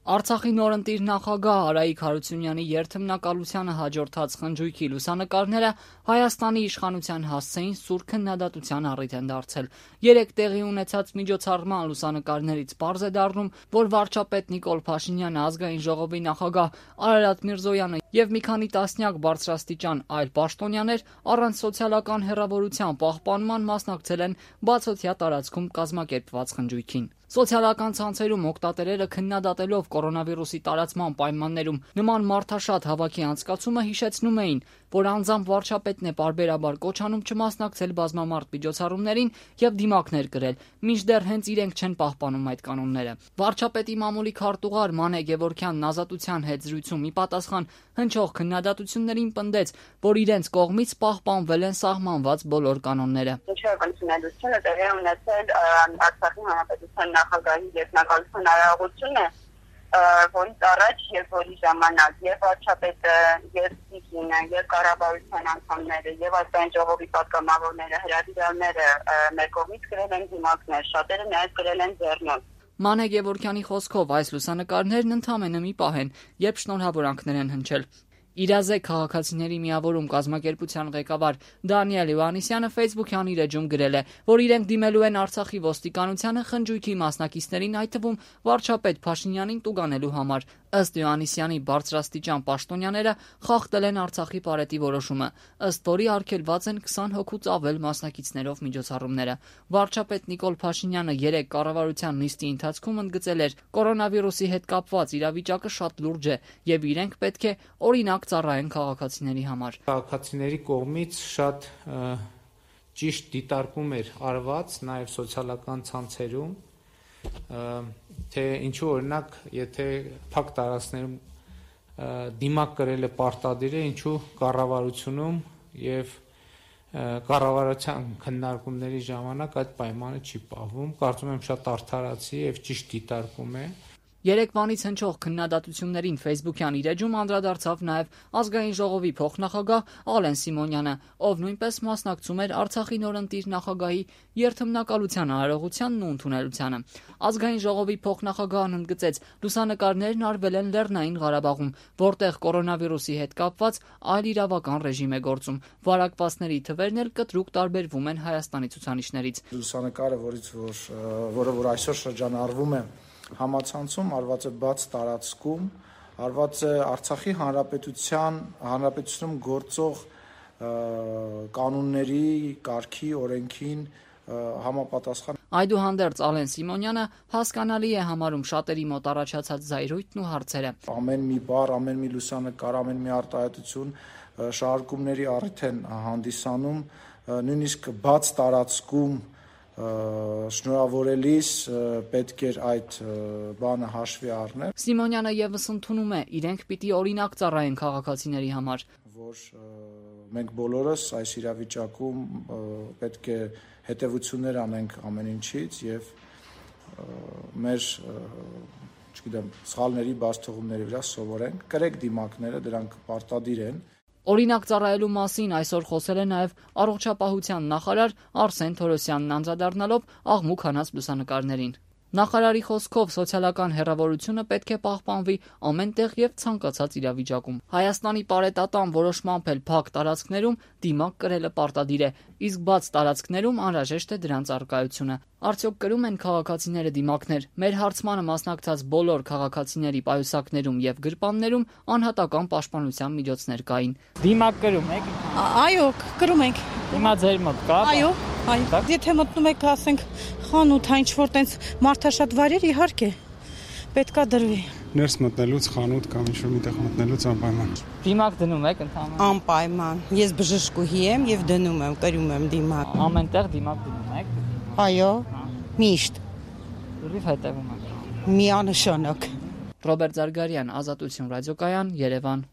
Արցախի նորընտիր նախագահ Արայիկ Հարությունյանի երթմնակալությանը հաջորդած խնջույքի լուսանկարները Հայաստանի իշխանության հասցեին սուր քննադատության առիթ են դարձել։ Երեկ տեղի ունեցած միջոցառման լուսանկարներից պարզ է դառնում, որ վարչապետ Նիկոլ Փաշինյանը, ազգային ժողովի նախագահ Արարատ Միրզոյանը եւ մի քանի տասնյակ բարձրաստիճան այլ պաշտոնյաներ առանց սոցիալական հեռավորության պահպանման մասնակցել են բացօթյա տարածքում կազմակերպված խնջույքին։ Սոցիալական ցանցերում օգտատերերը քննադատելով կորոնավիրուսի տարածման պայմաններում նման մարդաշատ հավաքի անցկացումը հիշեցնում էին, որ անձամբ վարչապետն է պարբերաբար կոչ անում չմասնակցել բազմամարդ միջոցառումներին եւ դիմակներ կրել, մինչդեռ հենց իրենք չեն պահպանում այդ կանոնները։ Վարչապետի մամուլի քարտուղար Մանե Գևորգյանն Ազատության հետ զրույցում ի պատասխան հնչող քննադատություններին պնդեց, որ իրենց կողմից պահպանվել են սահմանված բոլոր կանոնները։ Քննադատությունը տեղի ունեցել Արցախի հանրապետության նախագահի երկնակալության արարողությունը, որից առաջ եւ որի ժամանակ եւ վարչապետը, եւ Սիկինը, եւ կառավարության անդամները, եւ ազգային ժողովի պատգամավորները, հրավիրալները մեր կողմից գրել են դիմակներ, շատերը նաեւ գրել են ձեռնոց։ Մանե Գևորգյանի խոսքով այս լուսանկարներն ընդամենը մի պահ են, երբ շնորհավորանքներ են հնչել։ Իրազեկ քաղաքացիների միավորում կազմակերպության ղեկավար Դանիել Իվանիսյանը Facebook-յան իր էջում գրել է, որ իրենք դիմելու են Արցախի ոստիկանությանը խնջույքի մասնակիցներին, այդ թվում վարչապետ Փաշինյանին տուգանելու համար։ Ըստ Իվանիսյանի, բարձրաստիճան պաշտոնյաները խախտել են Արցախի պարետի որոշումը, ըստ որի արգելված են 20 հոգուց ավել մասնակիցներով միջոցառումները։ Վարչապետ Նիկոլ Փաշինյանը երեկ կառավարության նիստի ընթացքում ընդգծել էր, կորոնավիրուսի հետ կապված իրավիճակը շատ լուրջ է եւ իրենք պետք է օրինակ ծառայեն քաղաքացիների համար։ Քաղաքացիների կողմից շատ ճիշտ դիտարկում էր արված նաև սոցիալական ցանցերում, թե ինչու օրինակ, եթե փակ տարածքներում դիմակ կրելը պարտադիր է, ինչու կառավարությունում եւ կառավարության քննարկումների ժամանակ այդ պայմանը չի պահվում։ Կարծում եմ շատ արդարացի եւ ճիշտ դիտարկում է։ Երեկվանից հնչող քննադատություններին Facebook-յան իր էջում անդրադարձավ նաև ազգային ժողովի փոխնախագահ Ալեն Սիմոնյանը, ով նույնպես մասնակցում էր Արցախի նորընտիր նախագահի երթմնակալության արարողությանն ու ընդունելությանը։ Ազգային ժողովի փոխնախագահն ընդգծեց, լուսանկարներն արվել են Լեռնային Ղարաբաղում, որտեղ կորոնավիրուսի հետ կապված այլ իրավական ռեժիմ է գործում։ Վարակվածների թվերն էլ կտրուկ տարբերվում են Հայաստանի ցուցանիշներից։ Լուսանկարը, որը այսօր շրջանառվում է համացանցում, արված է բաց տարածքում, արված է Արցախի հանրապետությունում գործող կանոնների, կարգի, օրենքին համապատասխան։ Այդուհանդերձ Ալեն Սիմոնյանը հասկանալի է համարում շատերի մոտ առաջացած զայրույթն ու հարցերը։ Ամեն մի բառ, ամեն մի լուսանկար, ամեն մի արտահայտություն շարժումների առիթ են հանդիսանում, նույնիսկ բաց տարածքում շնորհավորելիս պետք էր այդ բանը հաշվի առնել։ Սիմոնյանը եւս ընդունում է, իրենք պիտի օրինակ ծառայեն քաղաքացիների համար, որ մենք բոլորս այս իրավիճակում պետք է հետևություններ անենք ամեն ինչից եւ մեր սխալների բացթողումների վրա սովորենք, կրեք դիմակները, դրանք պարտադիր են։ Օրինակ ծառայելու մասին այսօր խոսել է նաև առողջապահության նախարար Արսեն Թորոսյանն, անդրադառնալով աղմուկ հանած լուսանկարներին։ Նախարարի խոսքով սոցիալական հեռավորությունը պետք է պահպանվի ամեն տեղ եւ ցանկացած իրավիճակում։ Հայաստանի պարետատան որոշմամբ էլ փակ տարածքներում դիմակ կրելը պարտադիր է, իսկ բաց տարածքներում անհրաժեշտ է դրանց առկայությունը։ Արդյոք կրում են քաղաքացիները դիմակներ։ Մեր հարցմանը մասնակցած բոլոր քաղաքացիների պայուսակներում եւ գրպաններում անհատական պաշտպանության միջոցներ կային։ Դիմակ կրում եք։ Այո, կրում ենք։ Հիմա ձեր մոտ կա։ Այո, այո։ Եթե մտնում եք, ասենք, խանութ, ինչ որ տենց մարդաշատ վայրեր, իհարկե պետքա դրվի։ Ներս մտնելուց խանութ կամ ինչ որ միտեղ մտնելուց անպայման։ Դիմակ դնում եք ընդհանրապես։ Անպայման։ Ես բժշկուհի եմ եւ դնում եմ, կրում եմ դիմակ։ Ամենտեղ դիմակ դնում եք։ Այո, միշտ։ Լրիվ հետևում եք։ Միանշանակ։ Ռոբերտ Զարգարյան, Ազատություն ռադիոկայան, Երևան։